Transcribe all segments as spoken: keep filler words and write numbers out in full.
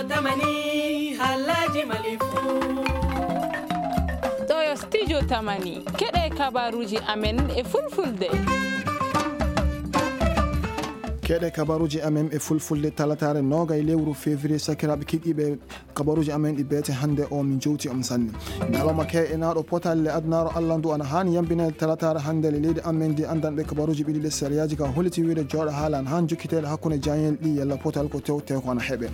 Tamani, halaji malifu. Ɗo yo studio Tamani. Keɗe kabaruji amen e fulfulde. Keɗe kabaruji amen e fulfulde talataare noogay lewru février, sakiraaɓe kiɗiiɓe. Kabaruji amen ɗi beete hannde o min jowti on sanne. Ñalawma ke'enaaɗo potalle adunaaru Allah ndu ana haani yambinede talataare hannde le leydi amen ndi. Anndanɓe kabaruji ɓiɗi ɗe sariyaaji ka holliti wiide jooɗo haala ana haani jokkiteede hakkunde jaañel ɗi yalla potal ko tewte ko ana heɓe.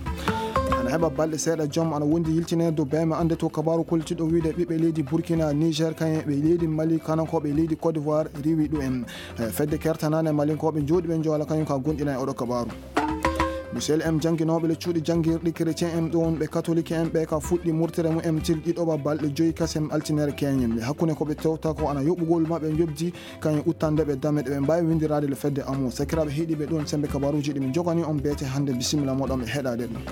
Ana heɓa balɗe seeɗa joom ana wondi yiltineede dow beeme annde to kabaru kollitiɗo wiide ɓiɓɓe leydi Burkina, Niger, kañum e ɓe leydi Mali, kanankooɓe leydi Côte d'Ivoire riwi ɗum en. Eh, fedde kertanaande Malinkooɓe jooɗiiɓe Njoola kañum ka gonɗina e oɗo kabaru. Michel M jannginooɓe le cuuɗi janngirɗi chrétien en ɗoon ɓe katolik en ɓe ka fuɗɗi murtere mum en til ɗiɗoɓa balɗe joyi kasem altinere keñen. Le hakkunde ko ɓe tewta ko ana yoɓugol maɓɓe njoɓdi kañum uttande ɓe dame ɗe ɓe mbaawi winndiraade le fedde amu. Sakiraaɓe heɗiiɓe ɗoon sembe kabaruuji ɗi min njogani on beete hannde bisimilla moɗon ɓe heɗaade ɗum.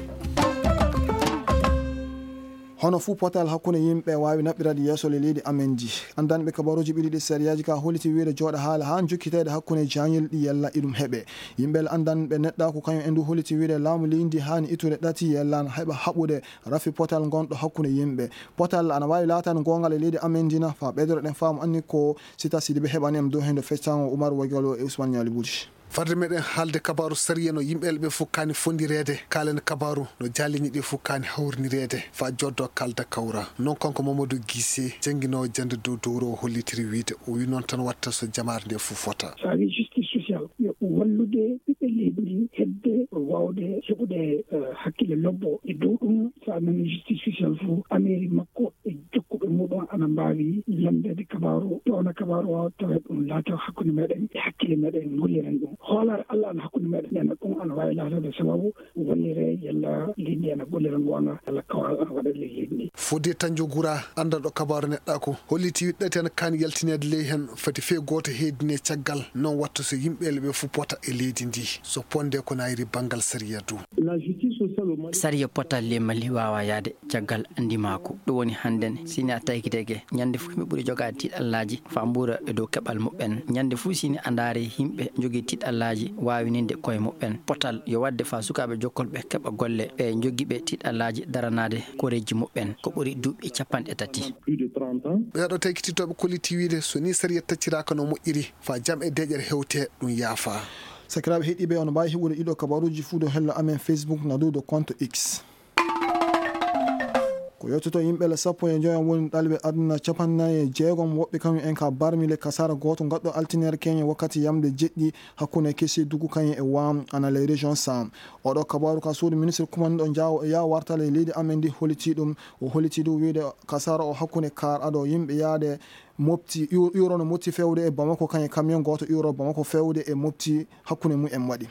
Hono fuu potal hakkunde yimɓe waawi naɓɓiraade yeeso le leydi amen ndi. Anndanɓe kabaruuji ɓiɗi ɗi sariyaaji ka holliti wiide jooɗo haala haa jokkiteede hakkunde jaañel ɗi yalla iɗum heɓe. Yimɓe le anndanɓe neɗɗaaku kañum en ndu holliti wiide laamu leydi ndi haani ittude ɗati yalla ana heɓa haɓude rafi potal ngonɗo hakkunde yimɓe. Potal ana waawi laataade goonga le leydi amen ndi na faa ɓeydoreɗen faamu anni ko Sita Sidibe heɓani en dow heen do feccaango Umar Wagalo e Usman Ñaali Buuji. Farde meɗen haalde kabaaru sariya no yimɓe ɓe fof kaani fondireede, kaalen kabaaru no jaalini ɗi fof kaani hawrinireede, faa joddo kalda kawra. Noon kanko Mamadou Guissé, jannginoowo jannde dow dowro o hollitiri wiide, o wi noon tan watta so jamaare nde fof fota. So a wi justice sociale, yo wallude ɓiɓɓe leydi ndi hedde waawde heɓude, eh, hakkille lobbo e dow ɗum. So a nani justice sociale fof, ameeri makko e jokkuɓe muɗum ana mbaawi lanndeede kabaaru, pewna kabaaru o, tawa ɗum laata hakkunde meɗen e hakkille meɗen, ngolliren ɗum. Hoolaare Allah ana hakkunde meɗen, nden ɗum ana waawi laataade sababu wallire yalla leydi ana gollira ngoonga, yalla kawral ana waɗa ley leydi ndi. Fodé Tandiogura, anndanɗo kabaaru neɗɗaaku, holliti ɗati ana kaani yaltineede ley heen, fati fee gooto heedine caggal, noon watta so yimɓe ɓe fof pota e leydi ndi, so ponde ko nayri banngal sariya du. Sariya potal le Mali waawa yaade caggal ndimaaku. Ɗum woni hannden, si ni a taykiteke, ñande fof yimɓe ɓuri jogaade tiiɗallaaji faa mbuura e dow keɓal muɓɓen. Ñande fof si ni a ndaari yimɓe njogii tiiɗallaaji waawininde koye muɓɓen. Potal yo waɗde faa sukaaɓe jokkolɓe keɓa golle, ɓe njogii ɓe tiiɗallaaji daranaade koreeji muɓɓen ko ɓuri duuɓi capanɗe tati. Ɓeeɗo taykititooɓe kolliti wiide so ni sariya tacciraaka no moƴƴiri, faa jam e deeƴere hewte ɗum yaafa. Sakiraaɓe heɗiiɓe, on mbaawi heɓude ɗiɗo kabaruuji fuu dow hello amen Facebook na dow do compte X. Ko yottoto yimɓe le sappo e joyo woni ɗaliɓe aduna capanɗe nayi e jeegom woɓɓe kañum en ka barmi le kasara gooto ngaɗɗo altinere keñe wakkati yamde jeɗɗi hakkunde Kesedugu kañum e Waam ana ley région Sam. Oɗo kabaru ka suudu ministre kumanɗo jaawo e yaa wartale e leydi amen ndi holliti ɗum. O holliti ɗum wiide kasara o hakkunde kar ado yimɓe yaade Mopti, iw-, iwro no Mopti fewde e Bamako kañum e camion gooto iwro Bamako fewde e Mopti hakkunde mum en waɗi.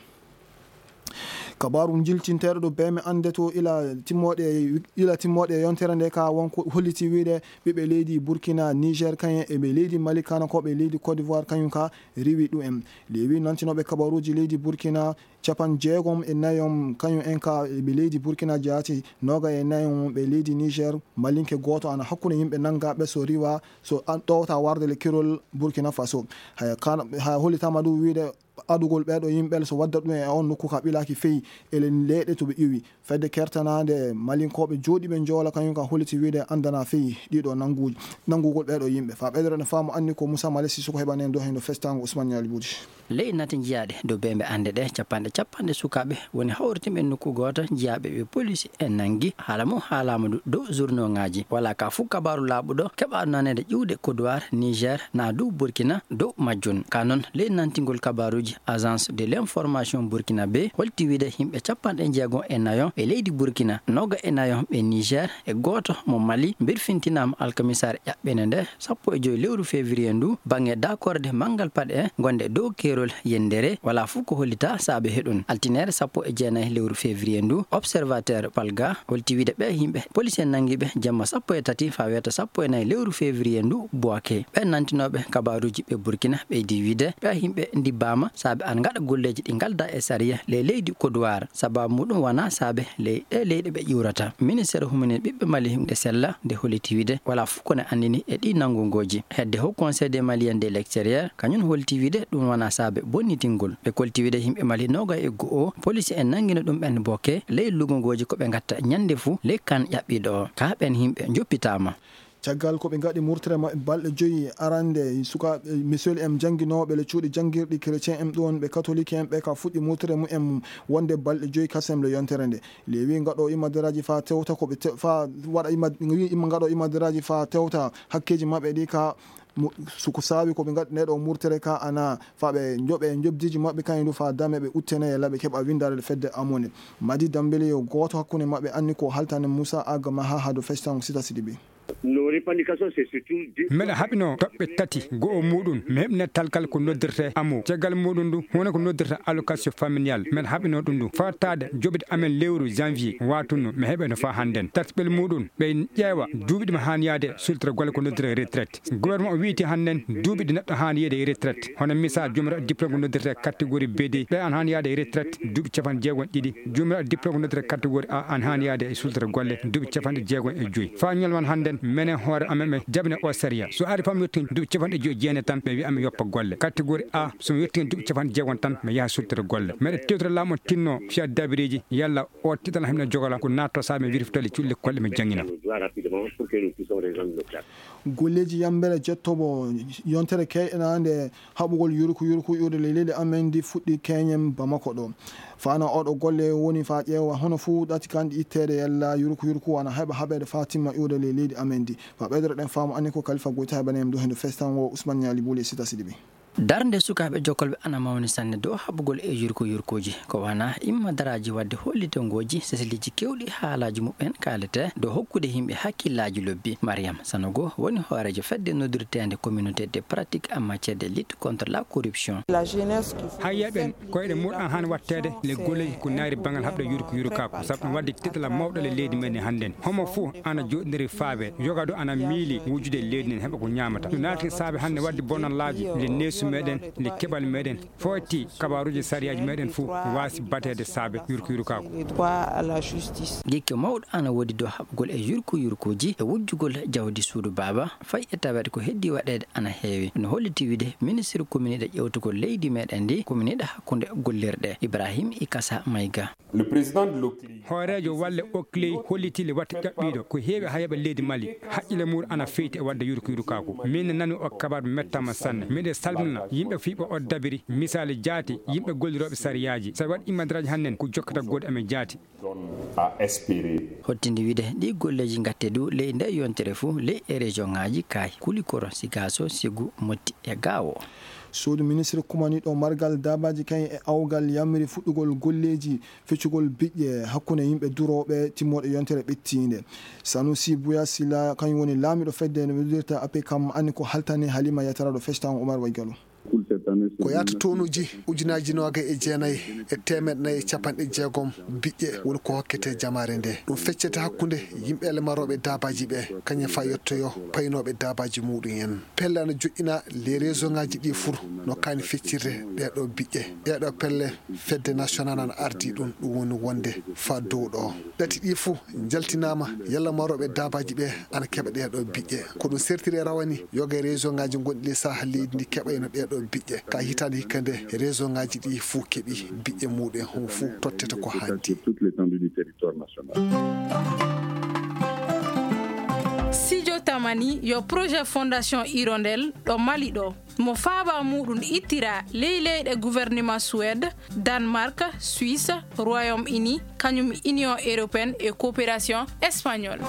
Kabaaru jiltinteeɗo ɗo beeme annde to ila timmooɗe, ila timmooɗe yontere nde ka wonko holliti wiide ɓiɓɓe leydi Burkina, Niger kañum e ɓe leydi Mali kana ko ɓe leydi Côte d'Ivoire kañum ka riwi ɗum en. Lewi nantinooɓe kabaaruuji leydi Burkina capan jeegom e nayom kañum en ka ɓe leydi Burkina jaati noga e nayom ɓe leydi Niger, malinke gooto ana hakkunde yimɓe nangaaɓe so riwa so an-, ɗowta warde le kirol Burkina Faso. Haya kan-, haya hollitama ɗum wiide adugol ɓeeɗo yimɓe so wadda ɗum e on nokku ka ɓilaaki feyi e le-, leyɗe to ɓe iwi. Fedde kertanaande malinkooɓe jooɗiiɓe njoola kañum ka holliti wiide anndana feyi ɗiɗo nannguuji, nanngugol ɓeeɗo yimɓe. Faa ɓeydoro ne faamu anni ko Moussa Male Sissoko heɓani en dow heen ɗo festango Ousmane Ñaali Buuji. Ley nate jiyaaɗe dow beembe annde ɗe, capanɗe capanɗe sukaaɓe woni hawritinɓe nokku gooto jiyaaɓe ɓe polisi en nanngi. Haala mum haalaama du dow journaux ŋaaji. Walaa ka fuu kabaaru laaɓuɗo keɓaaɗo naneede ƴiwde Côte d'Ivoire, Niger, naa dow Burkina dow majjun. Ka noon, ley nantingol kabaaruuji, Agence de l'information burkinabé holti wiide yimɓe capanɗe jeegom e nayo ɓe leydi Burkina, nooga e nayo ɓe Niger e gooto mo Mali mbirfintinaama alkamisaare ƴaɓɓende nde sappo e joy lewru février ndu, baŋŋe dakorde manngal paɗe gonde dow keerol yendere, walaa fuu ko hollitaa saabe heɗun. Altine sappo e jeenayi lewru février ndu, Observateur Palga holti wiide ɓee yimɓe police en nanngi ɓe jamma sappo e tati faa weeta sappo e nayi lewru février ndu Bouaké. Ɓee nantinooɓe kabaaruuji ɓe Burkina ɓeydi wiide ɓee yimɓe ndibbaama saabe ana ngaɗa golleeji ɗi ngalda e sariya ley leydi Kodowar. Sababu muɗum wona saabe ley ɗe leyɗe ɓe ƴuurata. Ministeer huminii ɓiɓɓe Mali nde sella nde holliti wiyde walaa fof ko ne anndini e ɗi nanngungooji. Hedde Haut Conseil des Maliens de l'extérieur, kañum holliti wiyde ɗum wona saabe bonnitingol. Ɓe kolti wiyde yimɓe Mali noogay e go'o, police en nanngino ɗum ɓen bokke ley lugungooji ko ɓe ngatta ñannde fuu ley kan ƴaɓɓiiɗo o. Ka ɓen yimɓe njoppitaama. Caggal ko ɓe ngaɗi murtere maɓɓe balɗe joyi arande, sukaaɓe, Michel M jannginooɓe le cuuɗi janngirɗi chrétien en ɗon, ɓe katolik en ɓe ka fuɗɗi murtere mumen wonde balɗe joyi kasem le yontere nde. Le wi ngaɗo imadaraaji fa tewta ko ɓe te-, fa waɗa ima-, wi ima ngaɗo imadaraaji fa tewta hakkeeji maɓɓe ɗi ka mu-, suko saawi ko ɓe ngaɗi nde ɗo murtere ka ana fa ɓe njoɓe njobdiji maɓɓe kañum du fa dame ɓe uttene e laɓe keɓa winndare fedde amone. Madi Dambele yo gooto hakkunde maɓɓe anni ko haltane Moussa Agama ha hado festan sita siɗi ɓe. Nos revendications, c'est surtout deux. Mbeɗa haɓino toɓɓe tati, go'o muɗum, mi heɓina talkal ko noddirte amo. Caggal muɗum du, wona ko noddirta allocation familiale. Mbeɗa haɓino ɗum du. Fattaade joɓde amen lewru janvier, watunno, mi heɓeno fa hannden. Tataɓel muɗum, ɓe ƴeewa duuɓi ɗi mi haani yaade sultore golle ko noddirta retraite. Gouvernement o wiyti hannden duuɓi ɗi neɗɗo haani yeede e retraite. Hono misal, joomiraaɗo diplôme ko noddirta catégorie B D, ɓe an haani yaade e retraite duuɓi capanɗe jeegom e ɗiɗi. Joomiraaɗo diplôme ko noddirta catégorie A, an haani yaade e sultore golle duuɓi capanɗe jeegom e joyi. Faa ñalawma hannden, menen hoore amen ɓe jaɓina o sariya. So ari faa mi yettii duuɓi capanɗe joyi e jeenayi tan, ɓe wi'a mi yoppa golle. Catégorie A, so mi yettii duuɓi capanɗe jeegom tan, mi yaha sultore golle. Meɗe tewtira laamu o tinno fiya dabireeji, yalla o tiital himɓe jogola ko naatto saabe mi wirfitali cuuɗi lekkol ɗe mi janngina. Golleeji yambere jettobo yontere keɗanaande haɓugol yurku yurku iwde ley leydi amen ndi fuɗɗi keñen Bamako ɗo. Fano oɗo golle woni fa ƴeewa hono fuu ɗati kandi itteede yalla yurku yurku wana heɓa haɓeede fa timma iwde ley leydi amen ndi. Fa ɓeydoro ɗen faamu anni ko Kalifa Goyta heɓani en ɗo hendo festan wo Usman Ñaali Buule sita siɗi ɓe. Darnde sukaaɓe jokkolɓe ana mawni sanne dow haɓugol e yurko yurkooji. Ko wana imma daraaji wadde hollitongooji seseliiji kewɗi haalaaji muɓɓen kaalete dow hokkude yimɓe hakkillaaji lobbi. Mariam Sanogo woni hooreejo fedde noddirteende communauté de pratique en matière de lutte contre la corruption. Hayya ɓen koyɗe muɗum an han watteede le goley ko naari bangal haɓde yurko yurkaaku sabu ɗum wadde titala mawɗo le leydi men hannden. Homo fuu ana joɗindiri faabe, yoga do ana miili wujude leydi nden heɓa ko ñaamata. Ɗum naati saabe hannde wadde bonallaaji le neesu meɗen, le keɓal meɗen. Foti kabaruuji sariyaaji meɗen fuu waasi bateede saabe yurko yurkaaku. Gikke mawɗo ana woodi dow haɓugol e yurko yurkooji e wujjugol jawdi suudu baaba, fay e taweede ko heddi waɗeede ana heewi. No holliti wide ministre kominiiɗo ƴewtugol leydi meɗen ndi, kominiiɗo hakkunde gollirɗe, Ibrahim Ikasa Mayga. Le président de l'O C L I. Hooreejo walle O C L I holliti le watta ƴaɓɓiiɗo ko heewi haa heɓa leydi Mali. Haqqille muɗum ana feyti e wadde yurko yurkaaku. Min nani o kabaru mettama sanne. Miɗo salmina yimɓe fii ɓe o dabiri misaali jaati yimɓe gollirooɓe sariyaaji. So waɗi imadraaji hannden ko jokkata goɗɗo amen jaati. Donne à espérer. Hottinde wide ɗi golleeji ngatte du ley nde yontere fuu ley e région ŋaaji kaayi Kulikoro, Sigaaso, Segu, Motti e Gaawo. Suudu ministre kumaniiɗo margal daabaaji kañum e awgal yamiri fuɗɗugol golleeji feccugol biƴƴe hakkunde yimɓe durooɓe timmooɗe yontere ɓettiinde. Sanusi Buya Sila kañum woni laamiiɗo fedde no noddirta A P kam anni ko haltani Halima Yatara ɗo festan Umar Waygalo. Ko yaata tonuuji ujunaaji noogay e jeenayi e teemeɗɗe nayi e capanɗe jeegom biƴƴe woni ko hokkete jamaare nde. Ɗum feccete hakkunde yimɓe ele marooɓe daabaaji ɓe, kañum fa yettoyo paynooɓe daabaaji muɗum en. Pelle ana joƴƴina les région ŋaaji ɗi fuu no kaani feccirde ɗee ɗoo biƴƴe. Ɗee ɗoo pelle fedde national ana ardi ɗum, ɗum woni wonde fa dow ɗoo. Ɗati ɗi fuu njaltinaama yalla marooɓe daabaaji ɓe ana keɓa ɗee ɗoo biƴƴe. Ko ɗum sertiri e rawane yoga e région ŋaaji gonɗi ley Sahel leydi ndi keɓayno ɗee ɗoo biƴƴe. Ka hitaande hikka nde région ŋaaji ɗi fuu keɓi biƴƴe muɗum en, homo fuu tottete ko haandi. Studio Tamani yo projet Fondation Hirondelle ɗo Mali ɗo. Mo faaba muɗum ittira ley leyɗe gouvernement Suède, Danemark, Suisse, Royaume-Uni, kañum Union Européenne e Coopération Espagnole.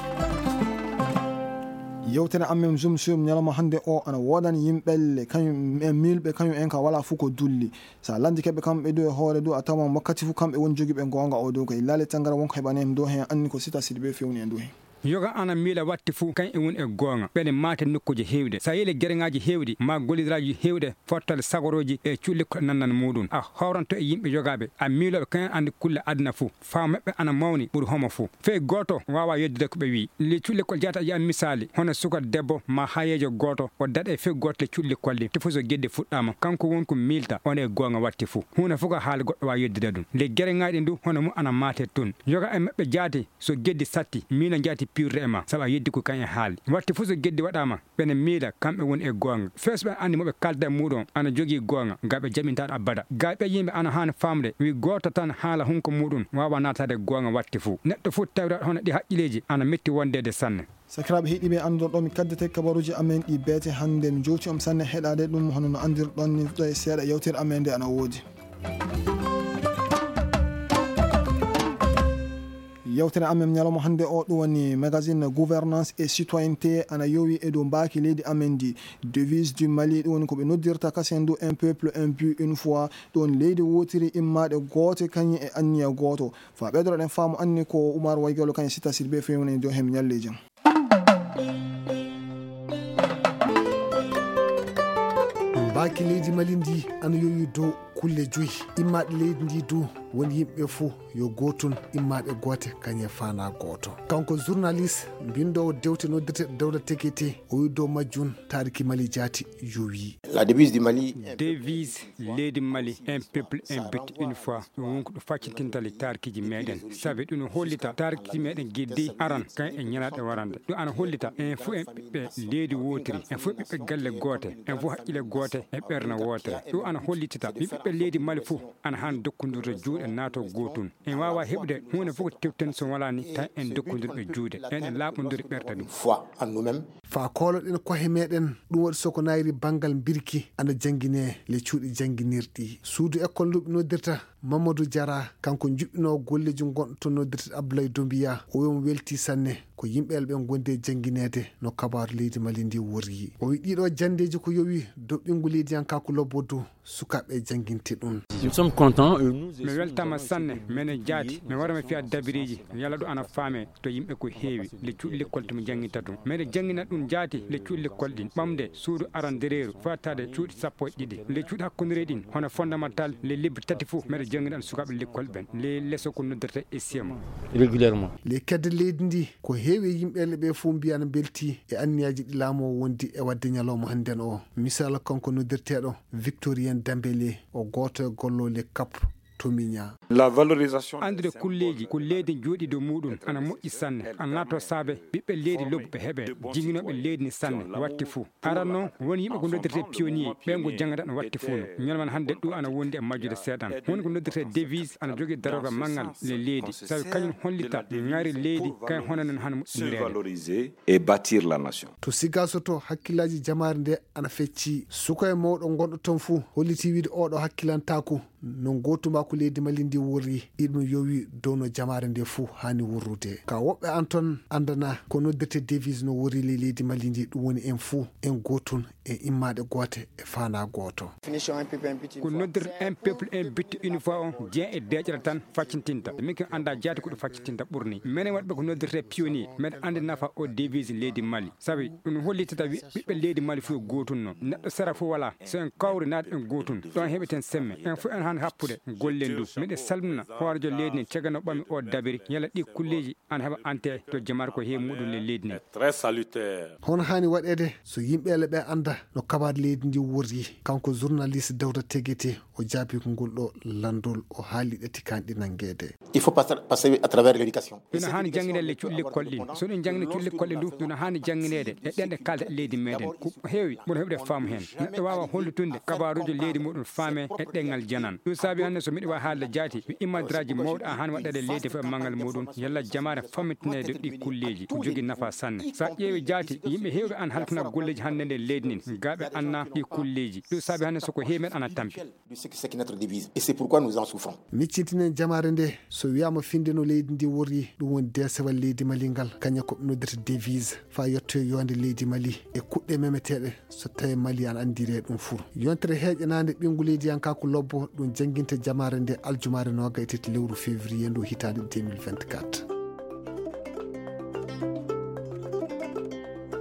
Yewtere amen Zoom sur ñalawma hannde o ana woodani yimɓelle kañum en miilɓe kañum en ka wala fuu ko dulli. Sa lanndi keɓe kamɓe du e hoore du a tawan wakkati fuu kamɓe woni jogiiɓe goonga o dow ko e laale tangara wonko heɓani en dow heen anni ko sita sidi ɓe fewni en dow heen. Yoga ana miila watti fuu, kañ e woni e gooŋa. Ɓene maate nokkuuje heewɗe. So a yehi le gereŋaaji heewɗi, maa golliraaji heewɗe, fottale sagorooji e cuuɗi lekkol nannan muuɗum. A hawranto e yimɓe yogaaɓe, a miilooɓe kañ anndi kulle aduna fuu. Faamu maɓɓe ana mawni ɓuri homo fuu. Fey gooto waawaa yeddude ko ɓe wi'i. Le cuuɗi lekkol jaata a yi'a misaali, hono suka debbo maa hayeejo gooto, o daɗe fey gooto le cuuɗi lekkol ɗin. Te fuu so geddi fuɗɗaama, kanko won ko miilta, on e gooŋa watti fuu. Huunde fuu ko haala goɗɗo waawaa yeddude ɗum. Le gereŋaaji ɗin du, hono mum ana maate tun. Yoga e maɓɓe jaati, so geddi satti, miino jaati piirude e ma, sabu a yeddi ko kañ e haali. Watti fuu so geddi waɗaama, ɓene miila kamɓe woni e gooŋa. Fey so ɓe anndi mo ɓe kaalda e muuɗum ana jogii gooŋa, ga ɓe jaɓintaɗo abada. Ga ɓe yimɓe ana haani faamude, wi gooto tan haala hunko muuɗum waawaa naataade gooŋa watti fuu. Neɗɗo fuu tawiraɗo hono ɗi haqqileeji ana metti wondeede sanne. Sakiraaɓe heɗiiɓe, anndorɗo mi kaddete kabaruuji amen ɗi beete hannde. Mi jowti on sanne heɗaade ɗum, hono no anndirɗon ni, ɗo e seeɗa yewtere amen nde ana woodi. Yewtere amen ñalawma hannde o, ɗum woni magazine Gouvernance et Citoyenneté, ana yowi e dow mbaaki leydi amen ndi, devise du Mali, ɗum woni ko ɓe noddirta kasen du un peuple, un but, une foi, ɗum woni leydi wootiri, immaaɗe goote, kañum e anniya gooto. Fa ɓeydoɗen faamu anni ko Oumar Waygalo kañum Sita Sidibé fewni dow heen ñalleeji. Mbaaki leydi Mali ndi ana yowi dow kulle joyi. Immaaɗe leydi ndi du woni yimɓe fuu yo gootun, immaaɓe goote kañum e faanaa gooto. Kanko journaliste, mbinndoowo dewte noddirte Dawda Tekete, o wi dow majjun taariki Mali jaati yowi. La devise du Mali. Devise leydi Mali, un peuple, un but, une foi. Ɗum woni ko ɗum faccintinta le taarkiiji meɗen. Sabi ɗum no hollita taarkiiji meɗen geddi aran kan e ñalaaɗe warande. Ɗum ana hollita en fof en ɓiɓɓe leydi wootiri, en fof ɓiɓɓe galle goote, en fof haqqille goote e ɓerne wootere. Ɗum ana hollitita ɓiɓɓe leydi Mali fof ana haani dokkondirde juuɗe naato gootun. En waawaa heɓude huunde fof ko teften so walaani tan en dokkondirɓe juuɗe, en laaɓondiri ɓerɗe ɗum. Foi en nous-mêmes. Faa kooloɗen kohe meɗen, ɗum waɗi so ko naayri banngal mbirki ana janngine le cuuɗi jannginirɗi. Suudu ekkol ndu ɓe noddirta Mamadou Diarra, kanko juɓɓinoowo golleeji gonɗo to noddirte Abdoulaye Doumbouya, o wi omo welti sanne ko yimɓe ɓe ngondi e janngineede no kabaaru leydi Mali ndi worri. O wi ɗiɗo janndeeji ko yowi dow ɓinngu leydiyankaaku lobbo du sukaaɓe jannginte ɗum. Nous sommes contents, euh, nous Mi weltama sanne, mene jaati, mi wara mi fiya dabiriiji, yalla ɗo ana faame to yimɓe ko heewi, le cuuɗi lekkol to mi janngita ɗum. Mene janngina ɗum jaati, le cuuɗi lekkol ɗin, ɓamde suudu arandereeru, faataade cuuɗi sappo e ɗiɗi. Le cuuɗi hakkundereeji ɗin, hono fondamental, le lebbi tati fof, mene janngina ɗum sukaaɓe lekkol ɓen, le leso ko noddirta S I M. Régulièrement. Le kedde leydi ndi, ko heewi e yimɓe ɓe fof mbiya ana mbelti e anniyaaji ɗi laamu o wondi e waɗde ñalawma hannden o. Misal kanko noddirteeɗo Victorien Dembélé, o gooto e golloole kap to Miña. La valorisation. Anndude kulleeji ko leydi jooɗi dow muuɗum ana moƴƴi sanne. Ana laatoo saabe ɓiɓɓe leydi lobbuɓe heɓe jinginooɓe leydi ni sanne watti fuu. Aran noon, won yimɓe ko noddirtee pionnier, ɓen ko janngata no watti fuu no. Ñalawma hannde ɗum ana wondi e majjude seeɗan. Woni ko noddirtee devise ana jogii darorgal manngal le leydi, sabi kañum hollita ŋari leydi, kañum hono non hano moƴƴinireede. Valoriser et bâtir la nation. To Sigaso to, hakkillaaji jamaare nde ana fecci. Suka e mawɗo gonɗo toon fuu holliti wiide oɗo hakkilantaaku no ngootumaaku leydi Mali ndi worri, iɗum yowi dow no jamaare nde fuu haani worrude. Ka woɓɓe an toon anndana ko noddirte devise no worri ley leydi Mali ndi, ɗum woni en fuu en gootun, en immaaɗe goote e faanaa gooto. Ko noddirta un peuple, un but, une foi on, jeeya e deeƴere tan faccintinta. Min kin annda jaati ko ɗum faccintinta ɓurni. Menen waɗɓe ko noddirte pionnier, meɗen anndi nafa o devise leydi Mali. Sabi ɗum hollitata wi-, ɓiɓɓe leydi Mali fof gootum no. Neɗɗo sera fof walaa. So en kawri naade en gootum, ɗon heɓeten semme. En fof en haani happude golle ndu. Miɗen salmina hooreejo leydi ndi, caggal no ɓami o dabiri, yalla ɗi kulleeji ana heɓa ante to jamaare ko heewi muɗum le leydi ndi. Très salutaire. Hono haani waɗeede so yimɓe ele ɓe annda no kabaade leydi ndi worri? Kanko journaliste Dawda Tegete, o jaabi ko ngol ɗo lanndol, o haali ɗe tikanɗe nanngeede. Il faut passer, passer à travers l'éducation. Ɗum no haani jannginde le cuuɗi lekkol ɗin. So ɗum janngini cuuɗi lekkol ɗin du, ɗum no haani janngineede e ɗen ɗe kaalda e leydi meɗen. Ko heewi mboɗo heɓude faamu heen. Neɗɗo waawa hollitunde kabaaruuji leydi muɗum faame e ɗemngal janan. Ɗum saabi hannde so miɗo waawi haalde jaati, mi immadraaji mawɗi a haani waɗɗeede leydi fof e manngal muɗum, yalla jamaare fammintineede ɗi kulleeji. Ko jogii nafa sanne. So a ƴeewi jaati, yimɓe heewɓe ana halfina golleeji hannde nder leydi ndin, gaa ɓe annaa ɗi kulleeji. Ɗum saabi hannde so ko heewi men ana tampi. De ce qui, ce qui notre devise. Et c'est pourquoi nous en souffrons. Miccitinen jamaare nde, so wiyaama finde no leydi ndi worri, ɗum woni deesewal leydi Mali ngal, kañum ko ɓe noddirta devise, faa yettoye yoonde leydi Mali e kuɗɗe memeteeɗe, so tawii Mali ana anndiri e ɗum fuu. Yontere heeƴanaande ɓinngu leydiyankaaku lobbo, ɗum jannginte jamaare nde aljumaare noogaye e tati lewru février ndu hitaande deux mille vingt-quatre.